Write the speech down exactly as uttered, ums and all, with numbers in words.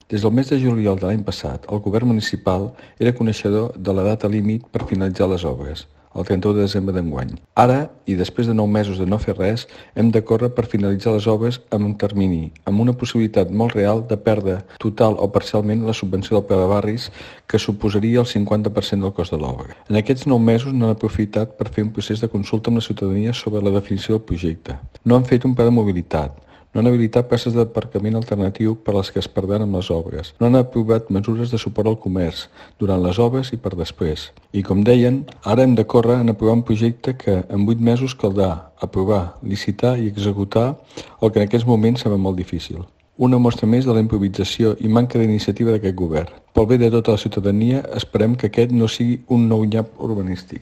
Des del mes de juliol de l'any passat, el govern municipal era coneixedor de la data límit per finalitzar les obres, el trenta-u de desembre d'enguany. Ara, i després de nou mesos de no fer res, hem de córrer per finalitzar les obres amb un termini, amb una possibilitat molt real de perdre total o parcialment la subvenció del Pla de Barris, que suposaria el cinquanta per cent del cost de l'obra. En aquests nou mesos no han aprofitat per fer un procés de consulta amb la ciutadania sobre la definició del projecte. No han fet un pla de mobilitat. No han habilitat places d'aparcament alternatiu per a les que es perdran amb les obres. No han aprovat mesures de suport al comerç durant les obres i per després. I com deien, ara hem de córrer en aprovar un projecte que en vuit mesos caldrà aprovar, licitar i executar el que en aquests moments serà molt difícil. Una mostra més de la improvisació i manca d'iniciativa d'aquest govern. Pel bé de tota la ciutadania, esperem que aquest no sigui un nou nyap urbanístic.